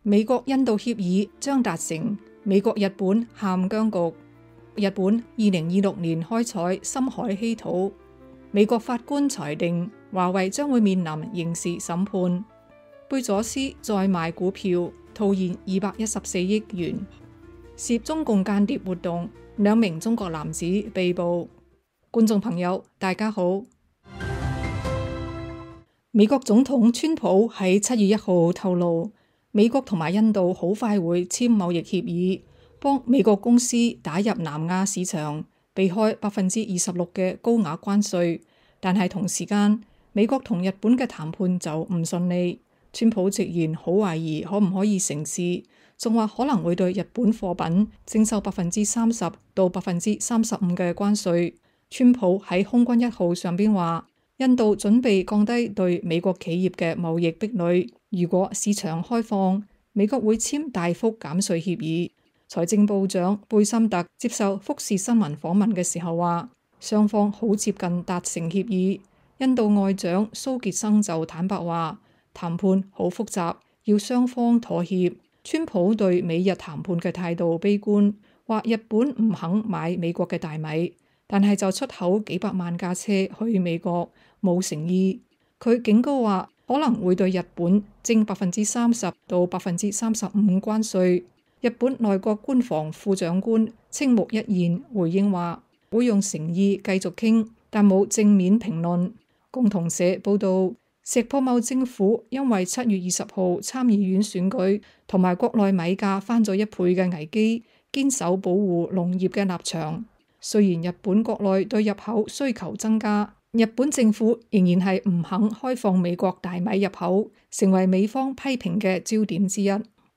美國印度協議將達成，美國日本陷僵局。日本2026年開採深海稀土。美國法官裁定華為將會面臨刑事審判。貝佐斯再賣股票套現214億元。涉中共間諜活動，2名中國男子被捕。觀眾朋友，大家好。美國總統川普喺7月1號透露，美國同埋印度好快會簽貿易協議，幫美國公司打入南亞市場，避開26%嘅高額關稅。但係同時間，美國同日本嘅談判就唔順利。川普直言好懷疑可唔可以成事，仲話可能會對日本貨品徵收30%到35%嘅關稅。川普喺空軍1號上邊話，印度準備降低對美國企業嘅貿易壁壘，如果市場開放，美國會簽大幅減稅協議。財政部長貝森特接受福士新聞訪問嘅時候話，雙方好接近達成協議。印度外長蘇傑生就坦白話，談判好複雜，要雙方妥協。川普對美日談判嘅態度悲觀，話日本唔肯買美國嘅大米，但係就出口幾百萬架車去美國，冇誠意。佢警告話可能會對日本徵30%到35%關稅。日本內閣官房副長官青木一彥回應話，會用誠意繼續傾，但冇正面評論。共同社報道，石破茂政府因為7月20號參議院選舉同埋國內米價翻咗1倍嘅危機，堅守保護農業嘅立場。雖然日本國內對入口需求增加，日本政府仍然係唔肯開放美國大米入口，成為美方批評嘅焦點之一。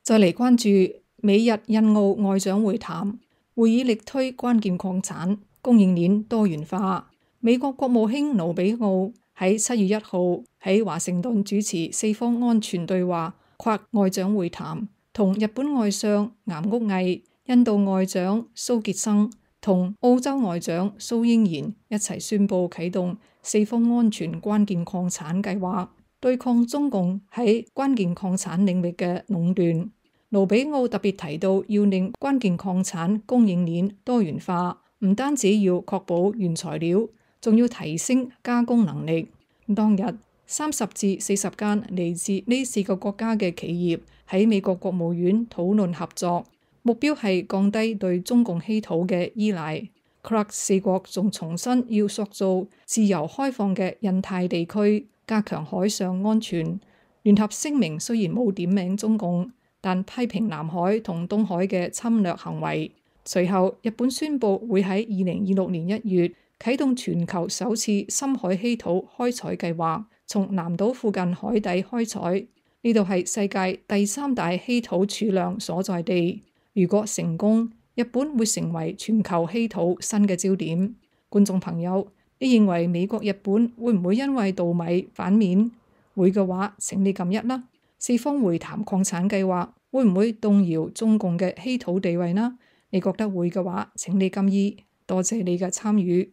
再嚟關注美日印澳外長會談，會議力推關鍵礦產供應鏈多元化。美國國務卿盧比奧喺7月1號喺華盛頓主持4方安全對話跨外長會談，同日本外相岩屋毅、印度外長蘇傑生同澳洲外長蘇英賢一齊宣布啟動4方安全關鍵礦產計劃，對抗中共喺關鍵礦產領域嘅壟斷。盧比奧特別提到，要令關鍵礦產供應鏈多元化，唔單止要確保原材料，仲要提升加工能力。當日30至40間嚟自呢4個國家嘅企業喺美國國務院討論合作，目標係降低對中共稀土嘅依賴。CRUX 4國仲重申要塑造自由開放嘅印太地區，加強海上安全。聯合聲明雖然冇點名中共，但批評南海同東海嘅侵略行為。隨後，日本宣布會喺2026年1月啟動全球首次深海稀土開採計劃，從南島附近海底開採。呢度係世界第3大稀土儲量所在地。如果成功，日本會成為全球稀土新嘅焦點。觀眾朋友，你認為美國日本會唔會因為稻米反面？會嘅話，請你撳1啦。4方會談礦產計劃會唔會動搖中共嘅稀土地位呢？你覺得會嘅話，請你撳2。多謝你嘅參與。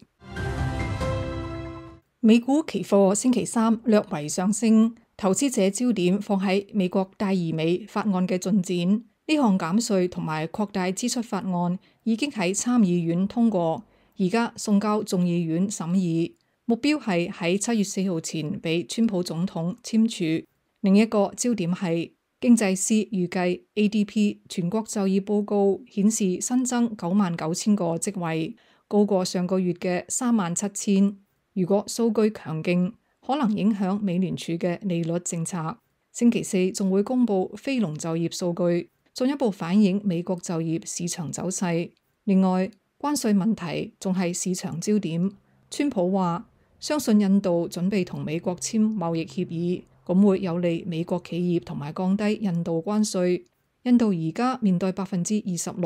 美股期貨星期3略為上升，投資者焦點放喺美國戴爾美法案嘅進展。呢項減稅同埋擴大支出法案已經喺參議院通過，而家送交眾議院審議，目標係喺7月4號前俾川普總統簽署。另一個焦點係經濟師預計 ADP 全國就業報告顯示新增99,000個職位，高過上個月嘅37,000。如果數據強勁，可能影響美聯儲嘅利率政策。星期4仲會公布非農就業數據，進一步反映美國就業市場走勢。另外，關稅問題仲係市場焦點。川普話相信印度準備同美國簽貿易協議，咁會有利美國企業同埋降低印度關稅。印度而家面對26%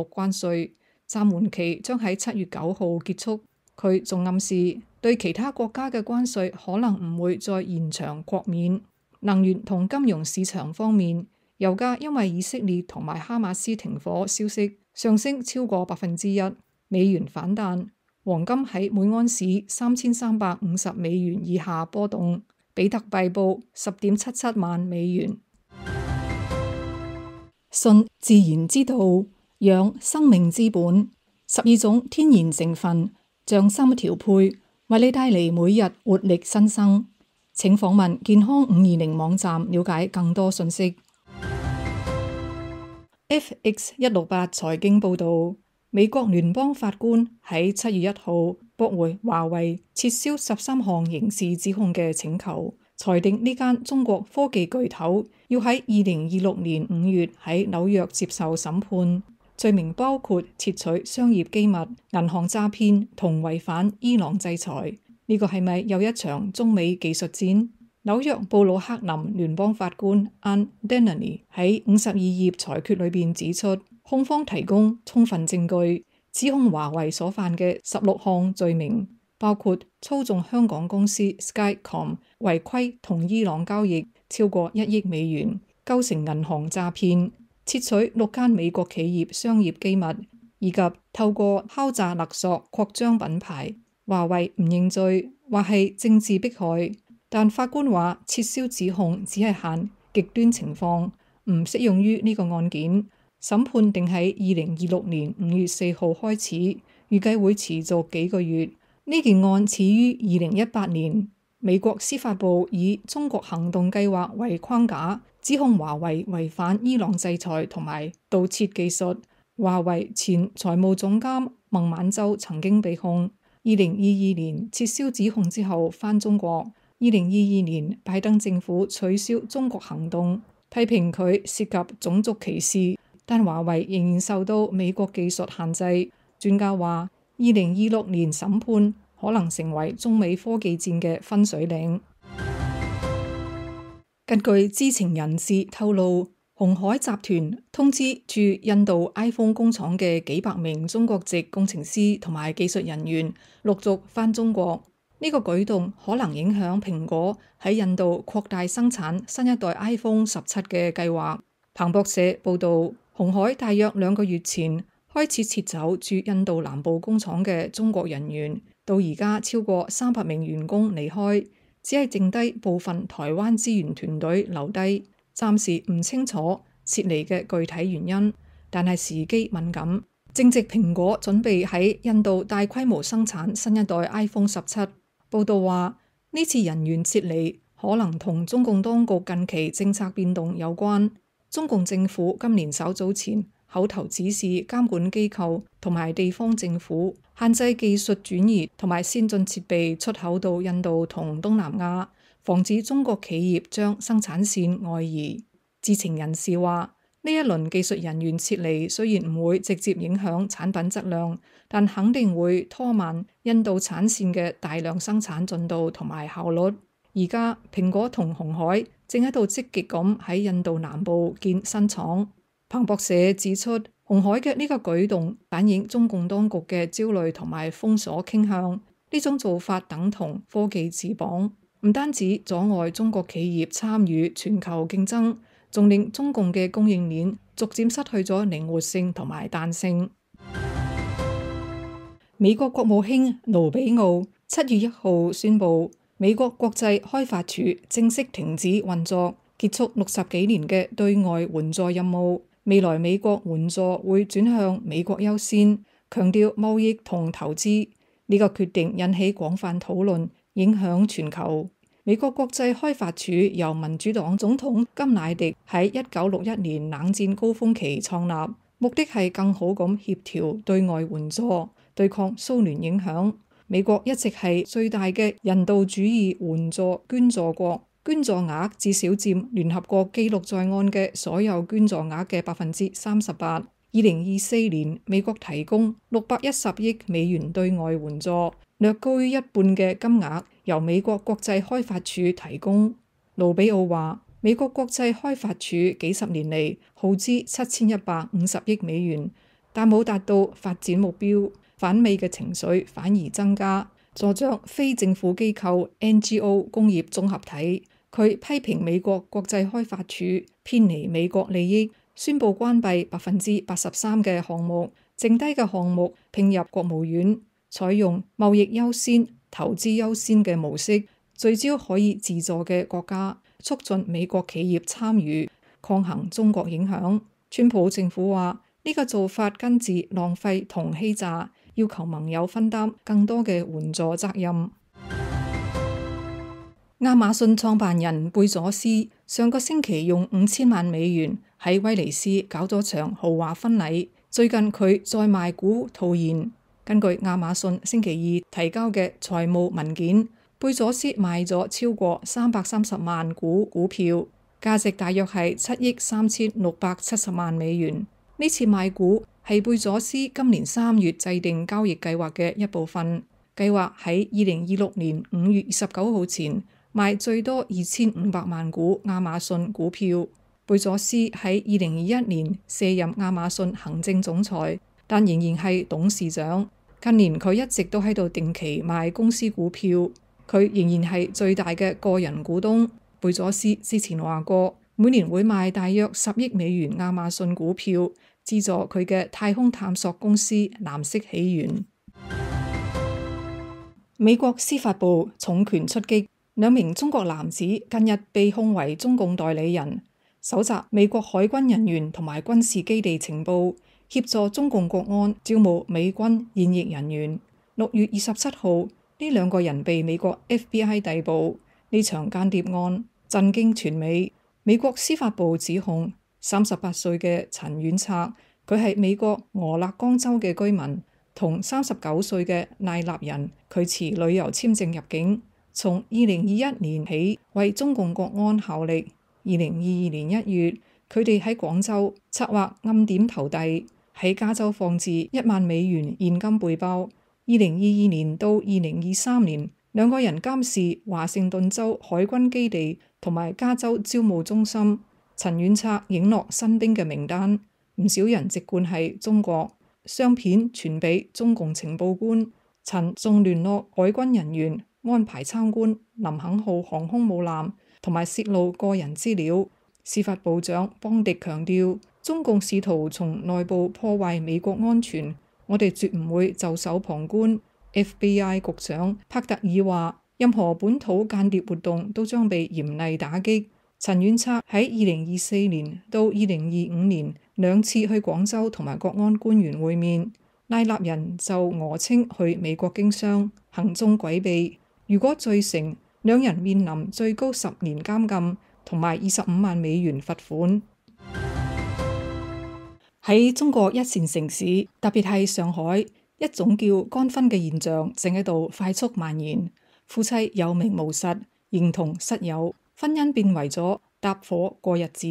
關稅，暫緩期將喺7月9號結束。佢仲暗示對其他國家嘅關稅可能唔會再延長豁免。能源同金融市場方面，油價因為以色列同埋哈馬斯停火消息上升超過1%，美元反彈。黃金喺每盎司3350美元以下波動，比特幣報10.77萬美元。信自然之道，養生命之本。12種天然成分，匠心調配，為你帶嚟每日活力新生。請訪問健康520網站了解更多信息。FX168財經報導，美國聯邦法官喺7月1號駁回華為撤銷13項刑事指控嘅請求，裁定呢間中國科技巨頭要喺2026年5月喺紐約接受審判，罪名包括竊取商業機密、銀行詐騙同違反伊朗制裁。呢個係咪又一場中美技術戰？紐約布魯克林聯邦法官 Ann Dennehy 喺52頁裁決裏邊指出，控方提供充分證據，指控華為所犯嘅16項罪名，包括操縱香港公司 Skycom 違規同伊朗交易超過1億美元，構成銀行詐騙，竊取6間美國企業商業機密，以及透過敲詐勒索擴張品牌。華為唔認罪，話係政治迫害，但法官話撤銷指控只係限極端情況，唔適用於呢個案件。審判定喺2026年5月4號開始，預計會持續幾個月。呢件案始於2018年，美國司法部以中國行動計劃為框架，指控華為違反伊朗制裁同埋盜竊技術。華為前財務總監孟晚舟曾經被控。2022年撤銷指控之後返中國。2022年拜登政府取消中國行動，批評佢涉及種族歧視，但華為仍然受到美國技術限制。專家話，2026年審判可能成為中美科技戰嘅分水嶺。根據知情人士透露，鴻海集團通知駐印度 iPhone 工廠嘅幾百名中國籍工程師同埋技術人員陸續返中國。呢個舉動可能影響蘋果喺印度擴大生產新一代 iPhone 17嘅計劃。彭博社報道，鴻海大約2個月前開始撤走駐印度南部工廠嘅中國人員，到而家超過300名員工離開，只係剩低部分台灣資源團隊留低。暫時唔清楚撤離嘅具體原因，但係時機敏感，正值蘋果準備喺印度大規模生產新一代 iPhone 17。報道話，呢次人員撤離可能同中共當局近期政策變動有關。中共政府今年稍早前口頭指示監管機構同埋地方政府限制技術轉移同埋先進設備出口到印度同東南亞，防止中國企業將生產線外移。知情人士話，呢一輪技術人員撤離雖然唔會直接影響產品質量，但肯定會拖慢印度產線嘅大量生產進度同埋效率。而家蘋果同鴻海正喺度積極咁喺印度南部建新廠。彭博社指出，鴻海嘅呢個舉動反映中共當局嘅焦慮同埋封鎖傾向。呢種做法等同科技自綁，唔單止阻礙中國企業參與全球競爭，仲令中共嘅供應鏈逐漸失去咗靈活性同埋彈性。美國國務卿盧比奧7月1號宣布，美國國際開發署正式停止運作，結束60幾年嘅對外援助任務。未來美國援助會轉向美國優先，強調貿易同投資。呢個決定引起廣泛討論，影響全球。美國國際開發署由民主黨總統甘迺迪喺1961年冷戰高峰期創立，目的係更好咁協調對外援助，對抗蘇聯影響。美國一直係最大嘅人道主義援助捐助國，捐助額至少佔聯合國記錄在案嘅所有捐助額嘅38%。2024年，美國提供610億美元對外援助，略高於一半嘅金額由美國國際開發署提供。盧比奧話，美國國際開發署幾十年嚟耗資7150億美元，但冇達到發展目標，反美嘅情緒反而增加，助長非政府機構 NGO 工業綜合體。佢批評美國國際開發署偏離美國利益，宣布關閉83%嘅項目，剩低嘅項目併入國務院，採用貿易優先、投資優先嘅模式，聚焦可以自助嘅國家，促進美國企業參與，抗衡中國影響。川普政府話呢個做法根治浪費同欺詐，要求盟友分擔更多嘅援助責任。亞馬遜創辦人貝佐斯上個星期用5000萬美元喺威尼斯搞咗場豪華婚禮，最近佢再賣股套現。根據亞馬遜星期二提交嘅財務文件，貝佐斯賣咗超過330萬股股票，價值大約係7億3670萬美元。呢次賣股係貝佐斯今年3月制定交易計劃嘅一部分，計劃喺2026年5月29號前賣最多2500萬股亞馬遜股票。貝佐斯喺2021年卸任亞馬遜行政總裁，但仍然係董事長。近年佢一直都喺度定期賣公司股票，佢仍然係最大嘅個人股東。貝佐斯之前話過，每年會賣大約10億美元亞馬遜股票，資助佢嘅太空探索公司藍色起源。美國司法部重拳出擊，2名中國男子近日被控為中共代理人，搜集美國海軍人員同埋軍事基地情報，協助中共國安招募美軍現役人員。6月27號，呢2個人被美國 FBI 逮捕。呢場間諜案震驚全美。美國司法部指控38歲嘅陳遠策，佢係美國俄勒岡州嘅居民，同39歲嘅賴立人，佢持旅遊簽證入境，從2021年起為中共國安效力。2022年1月，佢哋喺廣州策劃暗點投遞，喺加州放置1萬美元現金背包。2022年到2023年，2個人監視華盛頓州海軍基地同埋加州招募中心。陳遠策影落新兵嘅名單，唔少人籍貫係中國。相片傳俾中共情報官，陳仲聯絡海軍人員安排參觀林肯號航空母艦，同埋泄露個人資料。司法部長邦迪強調，中共試圖從內部破壞美國安全，我哋絕唔會袖手旁觀。FBI 局長帕特爾話，任何本土間諜活動都將被嚴厲打擊。陳遠策喺2024年到2025年2次去廣州同埋國安官員會面，賴立人就訛稱去美國經商，行蹤詭秘。如果罪成，2人面臨最高10年監禁同埋25萬美元罰款。喺中國一線城市，特別係上海，一種叫乾婚嘅現象正喺度快速蔓延。夫妻有名無實，形同室友，婚姻變為咗搭伙過日子，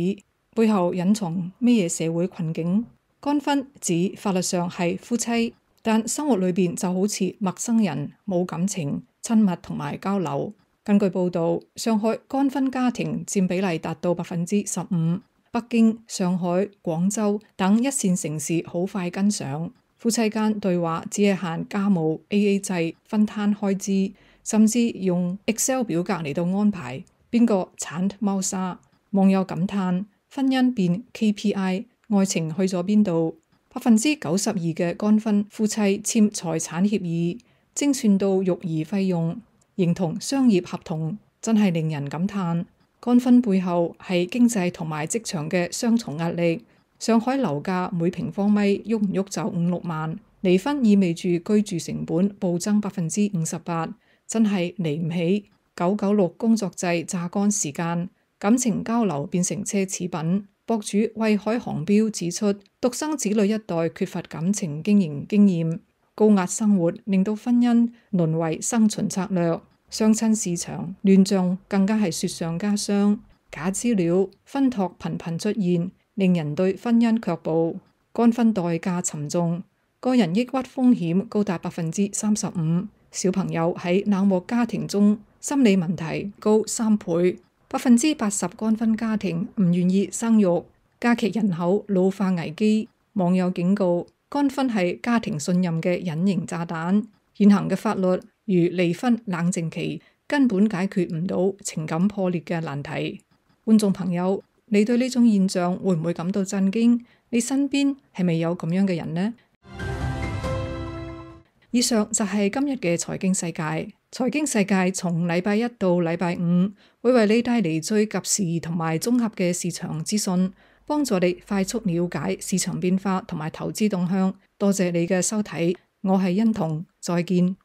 背後隱藏咩嘢社會困境？乾婚指法律上係夫妻，但生活裏邊就好似陌生人，冇感情、親密同埋交流。根據報道，上海乾婚家庭佔比例達到15%，北京、上海、廣州等一線城市好快跟上。夫妻間對話只係限家務 AA 制，分攤開支，甚至用 Excel 表格嚟到安排邊個鏟貓砂。網友感嘆婚姻變 KPI， 愛情去咗邊度？92%嘅乾婚夫妻簽財產協議，精算到育兒費用，形同商業合同，真係令人感嘆。乾婚背後係經濟同埋職場嘅雙重壓力。上海樓價每平方米喐唔喐就5-6萬，離婚意味住居住成本暴增58%，真係離唔起。996工作制榨乾時間，感情交流變成奢侈品。博主惠海航標指出，獨生子女一代缺乏感情經營經驗，高壓生活令到婚姻淪為生存策略，相親市場亂象更加係雪上加霜。假資料、婚託頻頻出現，令人對婚姻卻步。乾婚代價沉重，個人抑鬱風險高達35%，小朋友喺冷漠家庭中心理問題高3倍，80%乾婚家庭唔願意生育，加劇人口老化危機。網友警告，乾婚係家庭信任嘅隱形炸彈，現行嘅法律如離婚冷靜期根本解決唔到情感破裂嘅難題。觀眾朋友，你對呢種現象會唔會感到震驚？你身邊係咪有咁樣嘅人呢？以上就係今日嘅財經世界。財經世界從禮拜一到禮拜五會為你帶嚟最及時同埋綜合嘅市場資訊。幫助你快速了解市場變化同埋投資動向。多謝你嘅收睇，我係欣彤，再見。